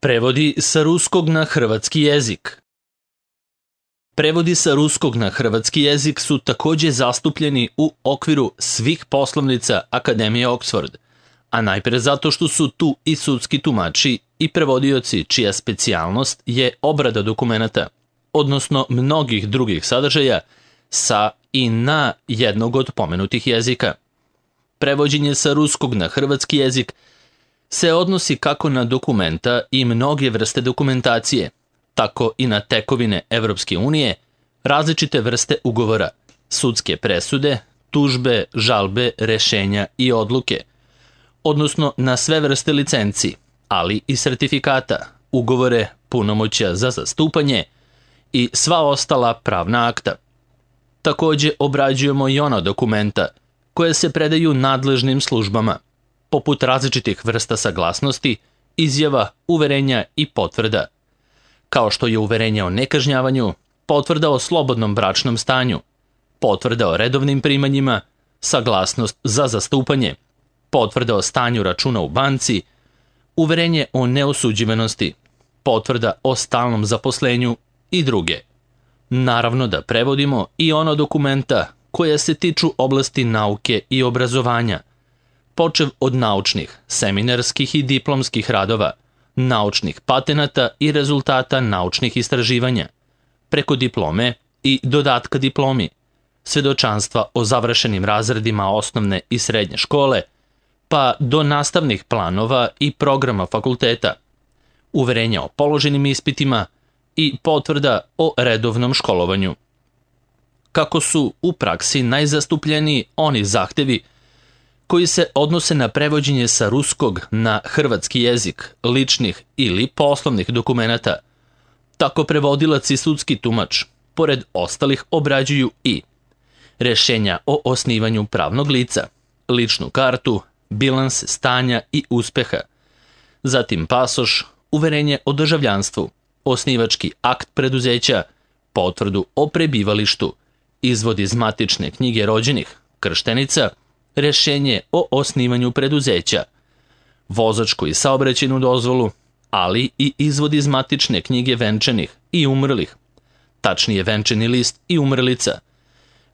Prevodi sa ruskog na hrvatski jezik. Prevodi sa ruskog na hrvatski jezik su takođe zastupljeni u okviru svih poslovnica Akademije Oxford, a najpre zato što su tu i sudski tumači i prevodioci čija specijalnost je obrada dokumenata, odnosno mnogih drugih sadržaja sa i na jednog od pomenutih jezika. Prevođenje sa ruskog na hrvatski jezik se odnosi kako na dokumenta i mnoge vrste dokumentacije, tako i na tekovine Evropske unije, različite vrste ugovora, sudske presude, tužbe, žalbe, rešenja i odluke, odnosno na sve vrste licenci, ali i sertifikata, ugovore, punomoćja za zastupanje i sva ostala pravna akta. Takođe obrađujemo i ona dokumenta koje se predaju nadležnim službama, poput različitih vrsta saglasnosti, izjava, uverenja i potvrda, kao što je uverenje o nekažnjavanju, potvrda o slobodnom bračnom stanju, potvrda o redovnim primanjima, saglasnost za zastupanje, potvrda o stanju računa u banci, uverenje o neosuđivanosti, potvrda o stalnom zaposlenju i druge. Naravno da prevodimo i ona dokumenta koja se tiču oblasti nauke i obrazovanja, počev od naučnih, seminarskih i diplomskih radova, naučnih patenata i rezultata naučnih istraživanja, preko diplome i dodatka diplomi, svedočanstva o završenim razredima osnovne i srednje škole, pa do nastavnih planova i programa fakulteta, uverenja o položenim ispitima i potvrda o redovnom školovanju. Kako su u praksi najzastupljeniji oni zahtevi koji se odnose na prevođenje sa ruskog na hrvatski jezik, ličnih ili poslovnih dokumenata, tako prevodilac i sudski tumač, pored ostalih, obrađuju i rešenja o osnivanju pravnog lica, ličnu kartu, bilans stanja i uspeha, zatim pasoš, uverenje o državljanstvu, osnivački akt preduzeća, potvrdu o prebivalištu, izvod iz matične knjige rođenih, krštenica, rešenje o osnivanju preduzeća, vozačku i saobraćajnu dozvolu, ali i izvod iz matične knjige venčanih i umrlih, tačnije venčani list i umrlica,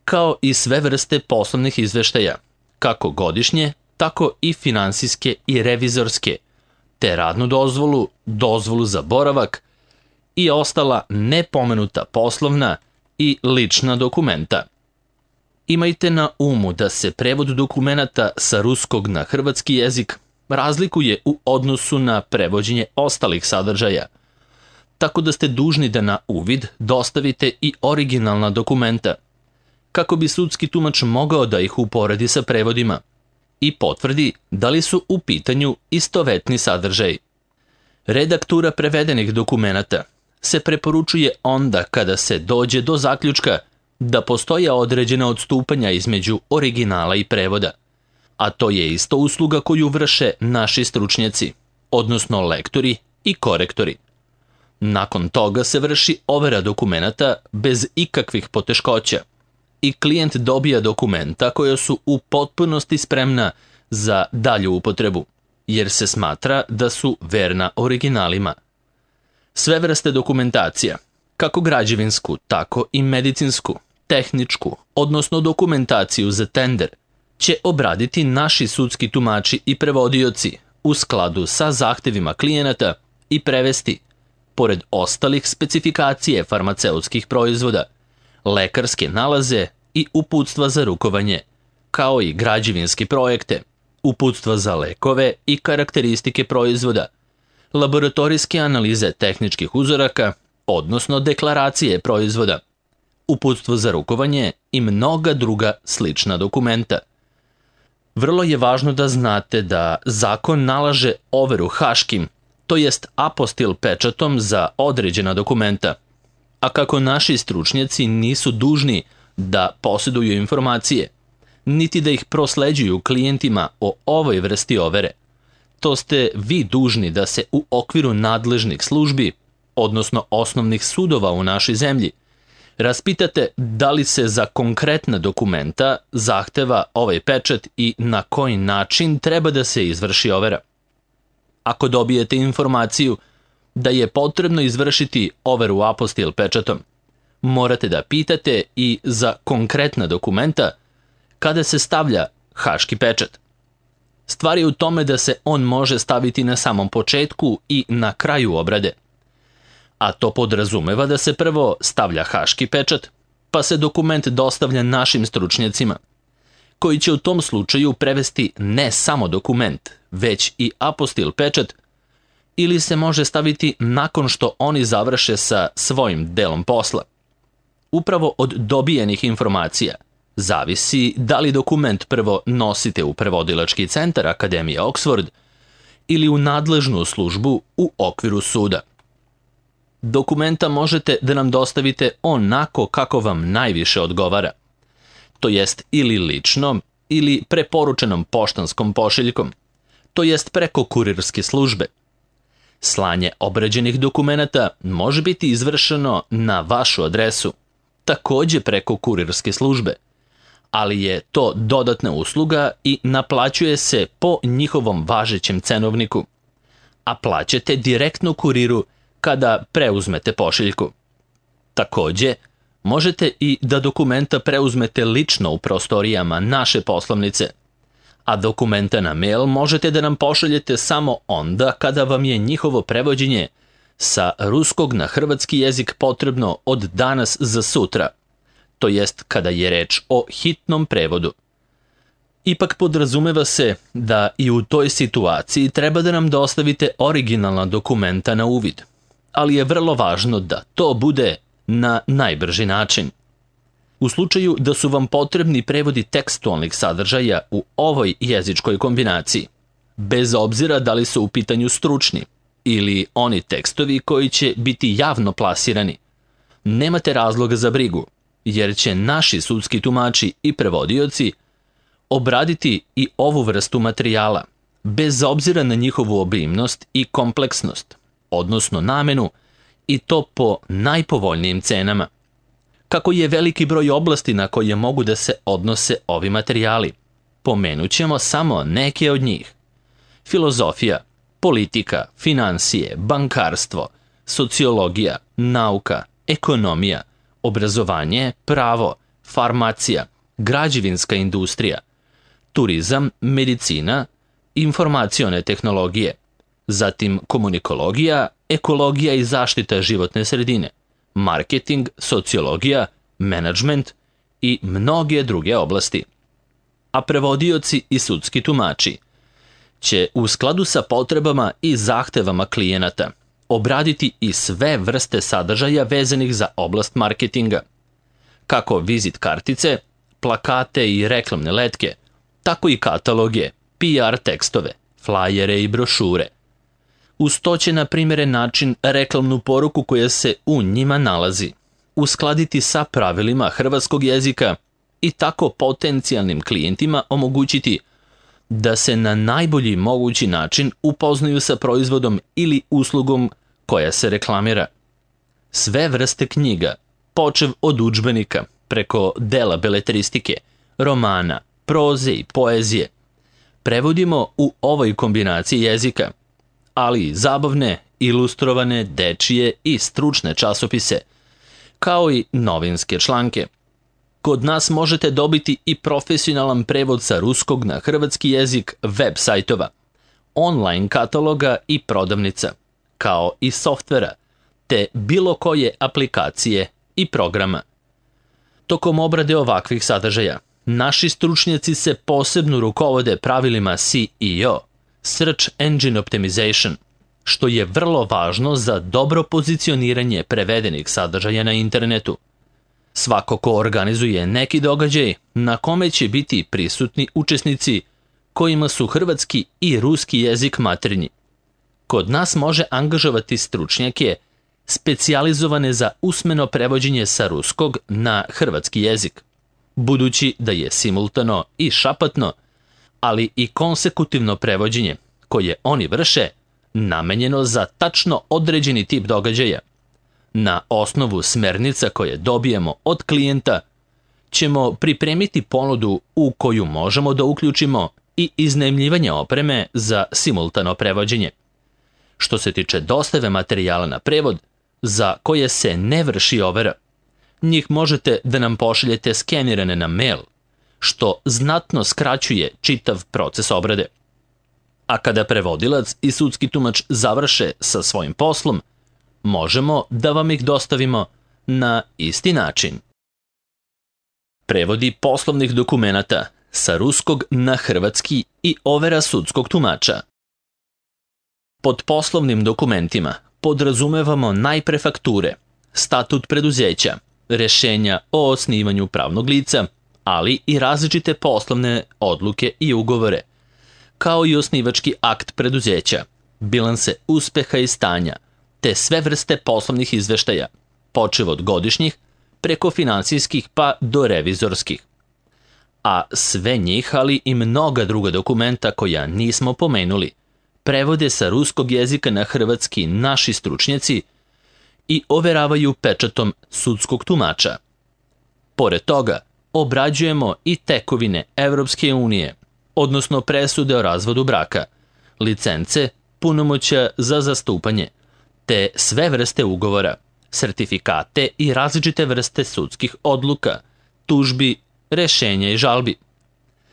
kao i sve vrste poslovnih izveštaja, kako godišnje, tako i finansijske i revizorske, te radnu dozvolu, dozvolu za boravak i ostala nepomenuta poslovna i lična dokumenta. Imajte na umu da se prevod dokumenata sa ruskog na hrvatski jezik razlikuje u odnosu na prevođenje ostalih sadržaja, tako da ste dužni da na uvid dostavite i originalna dokumenta, kako bi sudski tumač mogao da ih uporedi sa prevodima i potvrdi da li su u pitanju istovetni sadržaj. Redaktura prevedenih dokumenata se preporučuje onda kada se dođe do zaključka da postoje određena odstupanja između originala i prevoda, a to je isto usluga koju vrše naši stručnjaci, odnosno lektori i korektori. Nakon toga se vrši overa dokumenata bez ikakvih poteškoća i klijent dobija dokumenta koja su u potpunosti spremna za dalju upotrebu, jer se smatra da su verna originalima. Sve vrste dokumentacija, kako građevinsku, tako i medicinsku, tehničku, odnosno dokumentaciju za tender, će obraditi naši sudski tumači i prevodioci u skladu sa zahtevima klijenata i prevesti, pored ostalih, specifikacije farmaceutskih proizvoda, lekarske nalaze i uputstva za rukovanje, kao i građevinske projekte, uputstva za lekove i karakteristike proizvoda, laboratorijske analize tehničkih uzoraka, odnosno deklaracije proizvoda, uputstvo za rukovanje i mnoga druga slična dokumenta. Vrlo je važno da znate da zakon nalaže overu haškim, to jest apostil pečatom za određena dokumenta, a kako naši stručnjaci nisu dužni da posjeduju informacije, niti da ih prosleđuju klijentima o ovoj vrsti overe, to ste vi dužni da se u okviru nadležnih službi, odnosno osnovnih sudova u našoj zemlji, raspitate da li se za konkretna dokumenta zahteva ovaj pečat i na koji način treba da se izvrši overa. Ako dobijete informaciju da je potrebno izvršiti overu apostil pečatom. Morate da pitate i za konkretna dokumenta kada se stavlja haški pečat. Stvar je u tome da se on može staviti na samom početku i na kraju obrade. A to podrazumeva da se prvo stavlja haški pečat, pa se dokument dostavlja našim stručnjacima, koji će u tom slučaju prevesti ne samo dokument, već i apostil pečat, ili se može staviti nakon što oni završe sa svojim delom posla. Upravo od dobijenih informacija zavisi da li dokument prvo nosite u prevodilački centar Akademije Oxford ili u nadležnu službu u okviru suda. Dokumenta možete da nam dostavite onako kako vam najviše odgovara, to jest ili lično ili preporučenom poštanskom pošiljkom, to jest preko kurirske službe. Slanje obrađenih dokumenata može biti izvršeno na vašu adresu, takođe preko kurirske službe, ali je to dodatna usluga i naplaćuje se po njihovom važećem cenovniku, a plaćate direktno kuriru kada preuzmete pošiljku. Takođe, možete i da dokumenta preuzmete lično u prostorijama naše poslovnice, a dokumenta na mail možete da nam pošaljete samo onda kada vam je njihovo prevođenje sa ruskog na hrvatski jezik potrebno od danas za sutra, to jest kada je reč o hitnom prevodu. Ipak podrazumeva se da i u toj situaciji treba da nam dostavite originalna dokumenta na uvid, ali je vrlo važno da to bude na najbrži način. U slučaju da su vam potrebni prevodi tekstualnih sadržaja u ovoj jezičkoj kombinaciji, bez obzira da li su u pitanju stručni ili oni tekstovi koji će biti javno plasirani, nemate razloga za brigu, jer će naši sudski tumači i prevodioci obraditi i ovu vrstu materijala, bez obzira na njihovu obimnost i kompleksnost, odnosno namenu, i to po najpovoljnijim cenama. Kako je veliki broj oblasti na koje mogu da se odnose ovi materijali, pomenut ćemo samo neke od njih. Filozofija, politika, finansije, bankarstvo, sociologija, nauka, ekonomija, obrazovanje, pravo, farmacija, građevinska industrija, turizam, medicina, informacione tehnologije, zatim komunikologija, ekologija i zaštita životne sredine, marketing, sociologija, menadžment i mnoge druge oblasti. A prevodioci i sudski tumači će u skladu sa potrebama i zahtevama klijenata obraditi i sve vrste sadržaja vezanih za oblast marketinga, kako vizit kartice, plakate i reklamne letke, tako i kataloge, PR tekstove, flajere i brošure. Uz to će na primjeren način reklamnu poruku koja se u njima nalazi uskladiti sa pravilima hrvatskog jezika i tako potencijalnim klijentima omogućiti da se na najbolji mogući način upoznaju sa proizvodom ili uslugom koja se reklamira. Sve vrste knjiga, počev od udžbenika, preko dela beletristike, romana, proze i poezije, prevodimo u ovoj kombinaciji jezika, ali i zabavne, ilustrovane, dečije i stručne časopise, kao i novinske članke. Kod nas možete dobiti i profesionalan prevod sa ruskog na hrvatski jezik web sajtova, online kataloga i prodavnica, kao i softvera, te bilo koje aplikacije i programa. Tokom obrade ovakvih sadržaja, naši stručnjaci se posebno rukovode pravilima SEO, Search Engine Optimization, što je vrlo važno za dobro pozicioniranje prevedenih sadržaja na internetu. Svako ko organizuje neki događaj na kome će biti prisutni učesnici kojima su hrvatski i ruski jezik maternji, kod nas može angažovati stručnjake specijalizovane za usmeno prevođenje sa ruskog na hrvatski jezik, budući da je simultano i šapatno, ali i konsekutivno prevođenje koje oni vrše namenjeno za tačno određeni tip događaja. Na osnovu smernica koje dobijemo od klijenta ćemo pripremiti ponudu u koju možemo da uključimo i iznajmljivanje opreme za simultano prevođenje. Što se tiče dostave materijala na prevod, za koje se ne vrši overa, njih možete da nam pošaljete skenirane na mail, što znatno skraćuje čitav proces obrade. A kada prevodilac i sudski tumač završe sa svojim poslom, možemo da vam ih dostavimo na isti način. Prevodi poslovnih dokumenata sa ruskog na hrvatski i overa sudskog tumača. Pod poslovnim dokumentima podrazumevamo najpre fakture, statut preduzeća, rešenja o osnivanju pravnog lica, ali i različite poslovne odluke i ugovore, kao i osnivački akt preduzeća, bilanse uspeha i stanja, te sve vrste poslovnih izveštaja, počev od godišnjih, preko finansijskih pa do revizorskih. A sve njih, ali i mnoga druga dokumenta koja nismo pomenuli, prevode sa ruskog jezika na hrvatski naši stručnjaci i overavaju pečatom sudskog tumača. Pored toga, obrađujemo i tekovine Evropske unije, odnosno presude o razvodu braka, licence, punomoćja za zastupanje, te sve vrste ugovora, sertifikate i različite vrste sudskih odluka, tužbi, rešenja i žalbi.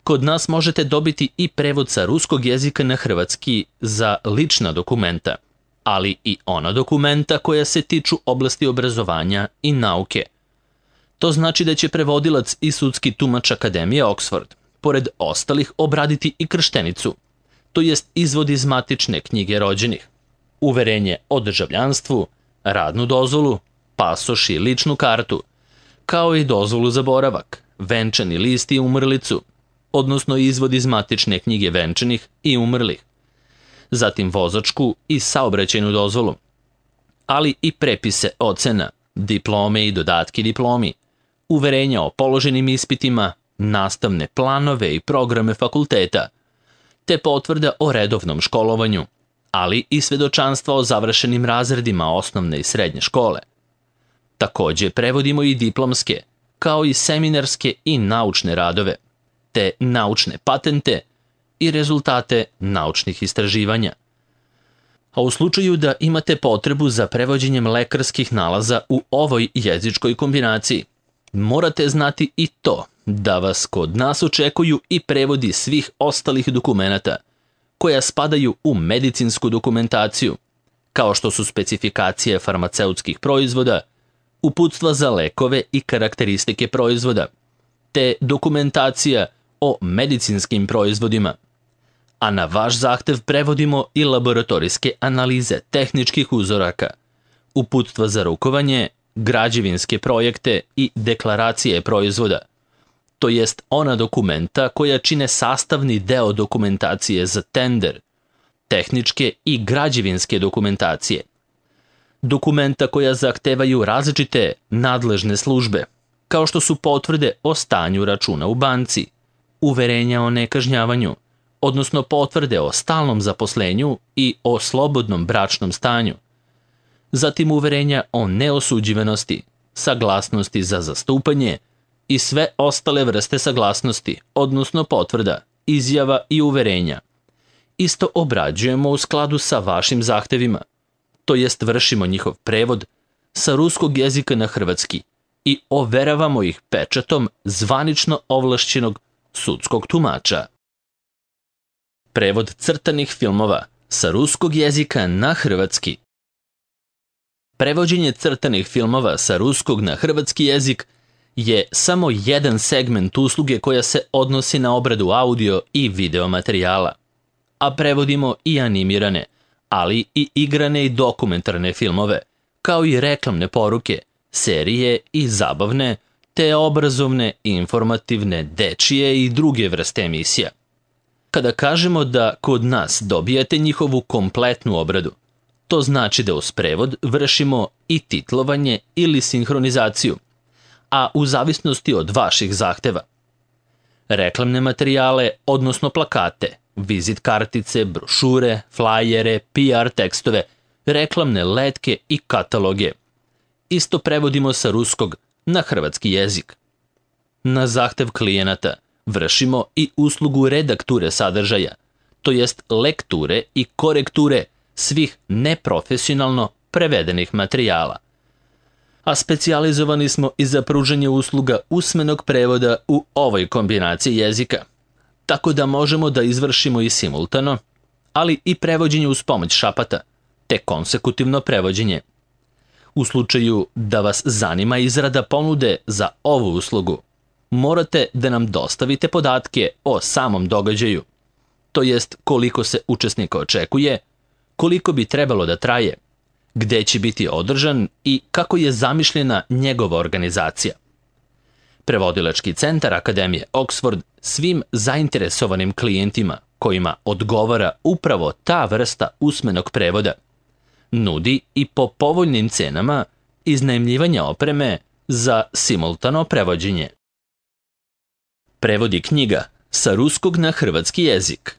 Kod nas možete dobiti i prevod sa ruskog jezika na hrvatski za lična dokumenta, ali i ona dokumenta koja se tiču oblasti obrazovanja i nauke. To znači da će prevodilac i sudski tumač Akademije Oxford, pored ostalih, obraditi i krštenicu, to jest izvod iz matične knjige rođenih, uverenje o državljanstvu, radnu dozvolu, pasoš i ličnu kartu, kao i dozvolu za boravak, venčani list i umrlicu, odnosno izvod iz matične knjige venčanih i umrlih, zatim vozačku i saobraćajnu dozvolu, ali i prepise ocena, diplome i dodatki diplomi, uverenja o položenim ispitima, nastavne planove i programe fakulteta, te potvrda o redovnom školovanju, ali i svedočanstva o završenim razredima osnovne i srednje škole. Takođe prevodimo i diplomske, kao i seminarske i naučne radove, te naučne patente i rezultate naučnih istraživanja. A u slučaju da imate potrebu za prevođenjem lekarskih nalaza u ovoj jezičkoj kombinaciji, morate znati i to da vas kod nas očekuju i prevodi svih ostalih dokumenata koja spadaju u medicinsku dokumentaciju, kao što su specifikacije farmaceutskih proizvoda, uputstva za lekove i karakteristike proizvoda, te dokumentacija o medicinskim proizvodima. A na vaš zahtev prevodimo i laboratorijske analize tehničkih uzoraka, uputstva za rukovanje, građevinske projekte i deklaracije proizvoda, to jest ona dokumenta koja čine sastavni deo dokumentacije za tender, tehničke i građevinske dokumentacije, dokumenta koja zahtevaju različite nadležne službe, kao što su potvrde o stanju računa u banci, uverenja o nekažnjavanju, odnosno potvrde o stalnom zaposlenju i o slobodnom bračnom stanju, zatim uverenja o neosuđivanosti, saglasnosti za zastupanje i sve ostale vrste saglasnosti, odnosno potvrda, izjava i uverenja. Isto obrađujemo u skladu sa vašim zahtevima, to jest vršimo njihov prevod sa ruskog jezika na hrvatski i overavamo ih pečatom zvanično ovlašćenog sudskog tumača. Prevod crtanih filmova sa ruskog jezika na hrvatski. Prevođenje crtanih filmova sa ruskog na hrvatski jezik je samo jedan segment usluge koja se odnosi na obradu audio i video materijala, a prevodimo i animirane, ali i igrane i dokumentarne filmove, kao i reklamne poruke, serije i zabavne, te obrazovne, informativne, dečije i druge vrste emisija. Kada kažemo da kod nas dobijate njihovu kompletnu obradu, to znači da uz prevod vršimo i titlovanje ili sinhronizaciju, a u zavisnosti od vaših zahteva. Reklamne materijale, odnosno plakate, vizit kartice, brošure, flajere, PR tekstove, reklamne letke i kataloge. Isto prevodimo sa ruskog na hrvatski jezik. Na zahtev klijenata vršimo i uslugu redakture sadržaja, to jest lekture i korekture svih neprofesionalno prevedenih materijala. A specijalizovani smo i za pružanje usluga usmenog prevoda u ovoj kombinaciji jezika, tako da možemo da izvršimo i simultano, ali i prevođenje uz pomoć šapata, te konsekutivno prevođenje. U slučaju da vas zanima izrada ponude za ovu uslugu, morate da nam dostavite podatke o samom događaju, to jest koliko se učesnika očekuje, koliko bi trebalo da traje, gde će biti održan i kako je zamišljena njegova organizacija. Prevodilački centar Akademije Oxford svim zainteresovanim klijentima kojima odgovara upravo ta vrsta usmenog prevoda nudi i po povoljnim cenama iznajmljivanja opreme za simultano prevođenje. Prevodi knjiga sa ruskog na hrvatski jezik.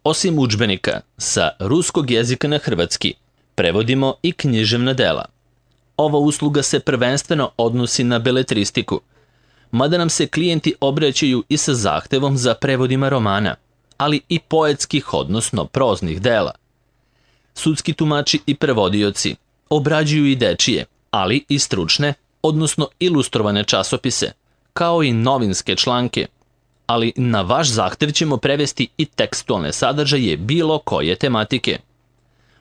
Osim udžbenika sa ruskog jezika na hrvatski, prevodimo i književna dela. Ova usluga se prvenstveno odnosi na beletristiku, mada nam se klijenti obraćaju i sa zahtevom za prevodima romana, ali i poetskih, odnosno proznih dela. Sudski tumači i prevodioci obrađuju i dečije, ali i stručne, odnosno ilustrovane časopise, kao i novinske članke, ali na vaš zahtev ćemo prevesti i tekstualne sadržaje bilo koje tematike.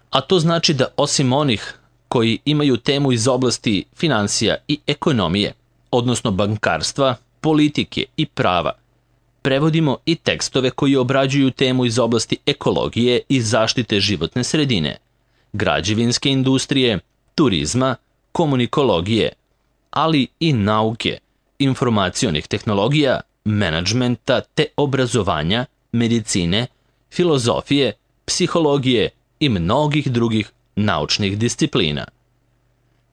A to znači da osim onih koji imaju temu iz oblasti finansija i ekonomije, odnosno bankarstva, politike i prava, prevodimo i tekstove koji obrađuju temu iz oblasti ekologije i zaštite životne sredine, građevinske industrije, turizma, komunikologije, ali i nauke, informacionih tehnologija, menadžmenta te obrazovanja, medicine, filozofije, psihologije i mnogih drugih naučnih disciplina.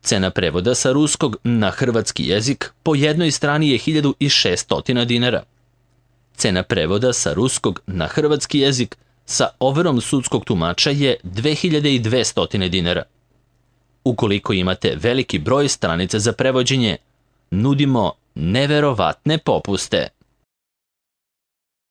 Cena prevoda sa ruskog na hrvatski jezik po jednoj strani je 1600 dinara. Cena prevoda sa ruskog na hrvatski jezik sa overom sudskog tumača je 2200 dinara. Ukoliko imate veliki broj stranica za prevođenje, nudimo neverovatne popuste.